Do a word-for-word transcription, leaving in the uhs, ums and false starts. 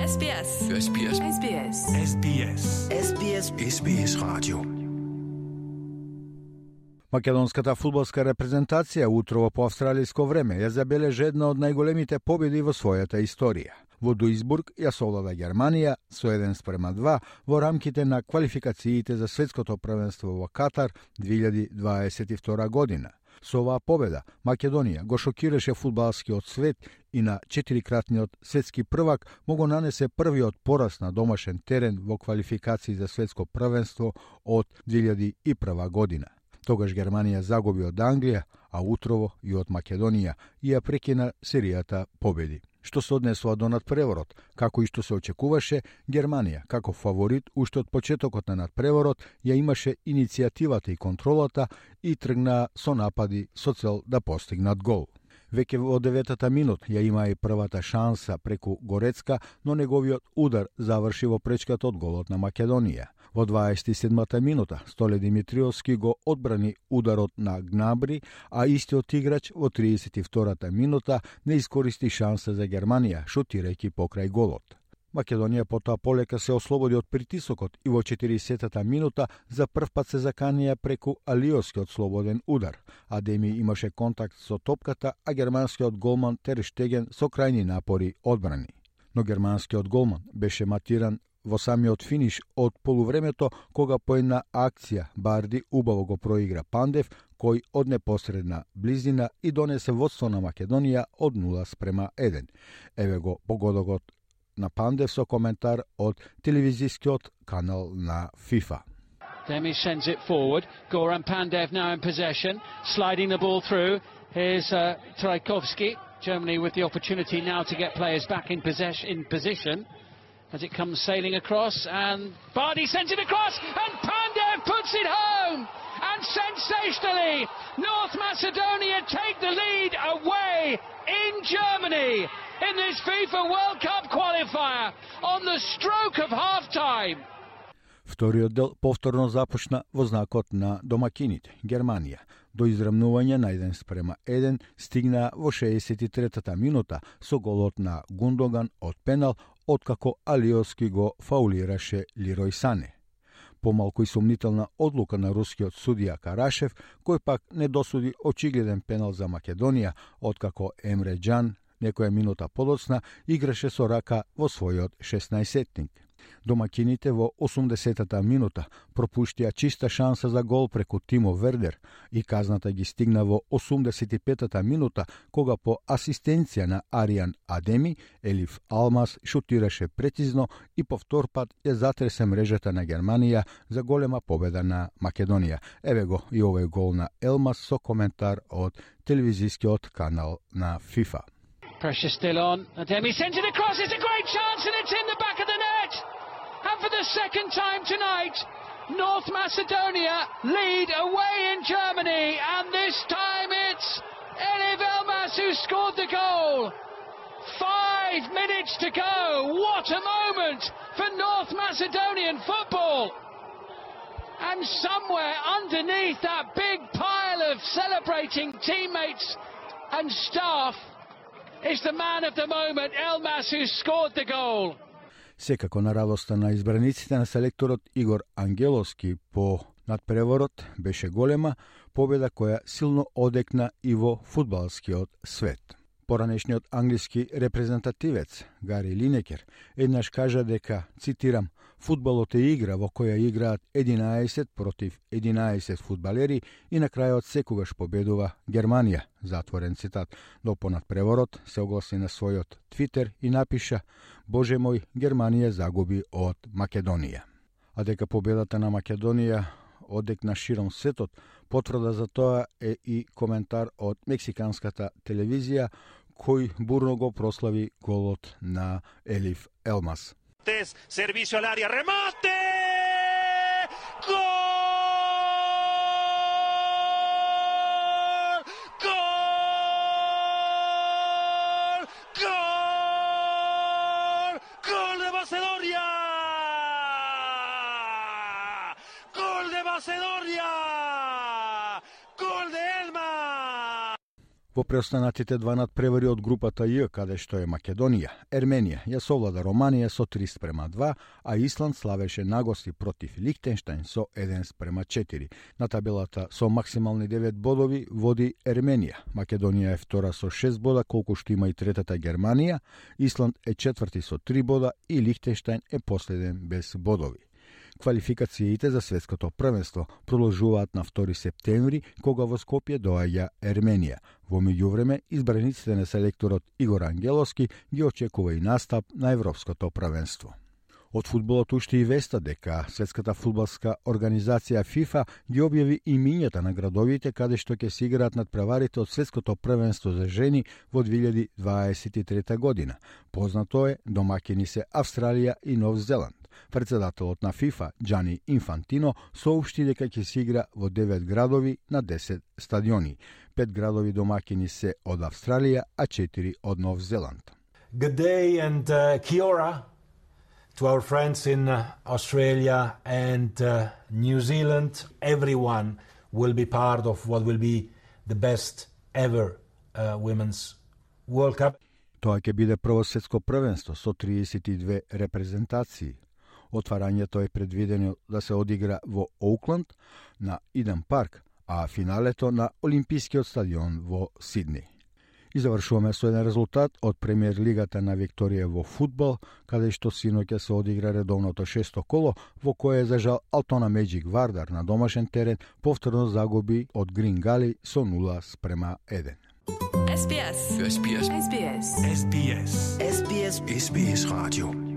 S B S. S B S. S B S. S B S. S B S. S B S радио. Македонската фудбалска репрезентација утрово по австралиско време ја забележи една од најголемите победи во својата историја. Во Дуисбург ја совлада Германија со еден спрема два во рамките на квалификациите за светското првенство во Катар две илјади дваесет и втора година. Со оваа победа Македонија го шокираше фудбалскиот свет и на четирикратниот светски првак му го нанесе првиот пораз на домашен терен во квалификации за светско првенство од две илјади и прва година. Тогаш Германија загуби од Англија, а утрово и од Македонија и ја прекина серијата победи. Што се однесува до надпреворот, како и што се очекуваше, Германија, како фаворит, уште од почетокот на надпреворот, ја имаше иницијативата и контролата и тргна со напади со цел да постигнат гол. Веќе во деветата минут ја има и првата шанса преку Горецка, но неговиот удар заврши во пречката од голот на Македонија. Во дваесет и седмата минута Столе Димитриовски го одбрани ударот на Гнабри, а истиот играч во триесет и втората минута не искористи шанса за Германија, шутирајќи покрај голот. Македонија потоа полека се ослободи од притисокот и во четиридесетата минута за прв пат се заканија преку Алиоскиот слободен удар. Адеми имаше контакт со топката, а германскиот голман Тер Штеген со крајни напори одбрани. Но германскиот голман беше матиран во самиот финиш од полувремето, кога по една акција Барди убаво го проигра Пандев, кој од непосредна близина и донесе водство на Македонија од нула спрема еден. Еве го погодокот на Пандев со коментар од телевизискиот канал на FIFA. Demi sends it forward. Goran Pandev now in possession, sliding the ball through. Here's uh, Trajkovski. Germany with the opportunity now to get players back in possession. In position. As it comes sailing across, and Bardi sends it across, and Pandev puts it home, and sensationally North Macedonia take the lead away in Germany in this FIFA World Cup qualifier on the stroke of half-time. Вториот дел повторно започна во знакот на домакините, Германија. До израмнување на еден спрема еден стигна во шеесет и третата минута со голот на Гундоган од пенал, откако Алиоски го фаулираше Лирој Сане. Помалку и сумнителна одлука на рускиот судија Карашев, кој пак не досуди очигледен пенал за Македонија, откако Емре Џан некоја минута подоцна играше со рака во својот шеснаесеттник. Домакините во осумдесетата минута пропуштија чиста шанса за гол преку Тимо Вердер и казната ги стигна во осумдесет и петата минута, кога по асистенција на Аријан Адеми, Елиф Алмас шутираше прецизно и по втор пат ја затресе мрежата на Германија за голема победа на Македонија. Еве го и овој гол на Елмас со коментар од телевизискиот канал на FIFA. Pressure still on. Ademi sends it across. It's a great chance, and it's in the back of the net. And for the second time tonight, North Macedonia lead away in Germany, and this time it's Elif Elmas who scored the goal. Five minutes to go. What a moment for North Macedonian football. And somewhere underneath that big pile of celebrating teammates and staff is the man of the moment, Elmas, who scored the goal. Секако на радоста на избраниците на селекторот Игор Ангеловски по надпреворот беше голема победа која силно одекна и во фудбалскиот свет. Поранешниот англиски репрезентативец Гари Линекер еднаш кажа дека, цитирам, фудбалот е игра во која играат единаесет против единаесет фудбалери и на крајот секогаш победува Германија, затворен цитат. Но по надпреворот се огласи на својот Твитер и напиша: Боже мој, Германија загуби од Македонија. А дека победата на Македонија одекна широм светот, потврда за тоа е и коментар од мексиканската телевизија, кој бурно го прослави голот на Елиф Елмас. Servicio al área, remate! ¡Gol! ¡Gol! ¡Gol! ¡Gol de Macedonia! ¡Gol de Macedonia! ¡Gol de Elma! Во преостанатите два надпревари од групата Ј, каде што е Македонија, Ерменија ја совлада Романија со три спрема два, а Исланд славеше нагости против Лихтенштајн со еден спрема четири. На табелата со максимални девет бодови води Ерменија. Македонија е втора со шест бода, колку што има и третата Германија, Исланд е четврти со три бода и Лихтенштајн е последен без бодови. Квалификациите за светското првенство продолжуваат на втори септември, кога во Скопје доаѓа Ерменија. Во меѓувреме, избраниците на селекторот Игор Ангеловски ги очекува и настап на европското првенство. Од фудбалот уште и веста дека Светската фудбалска организација ФИФА ги објави имињата на градовите каде што ќе се играат надпреварите од Светското првенство за жени во две илјади дваесет и трета година. Познато е, домаќини се Австралија и Нов Зеланд. Председателот на ФИФА, Џани Инфантино, соопшти дека ќе се игра во девет градови на десет стадиони. Пет градови домаќини се од Австралија, а четири од Нов Зеланд. Good day and uh, kia ora to our friends in uh, Australia and uh, New Zealand. Everyone will be part of what will be the best ever uh, Women's World Cup. Тоа ќе биде прво светско првенство со триесет и две репрезентации. Отварањето е предвидено да се одигра во Оукланд на Иден парк, а финалето на Олимпискиот стадион во Сидни. И завршуваме со еден резултат од премиер лигата на Викторија во фудбал, каде што синоќа се одигра редовното шесто коло, во кое за жал Алтона Меджик Вардар на домашен терен повторно загуби од Грин Гали со нула спрема еден. S B S. S B S. S B S. S B S. S B S. S B S Radio.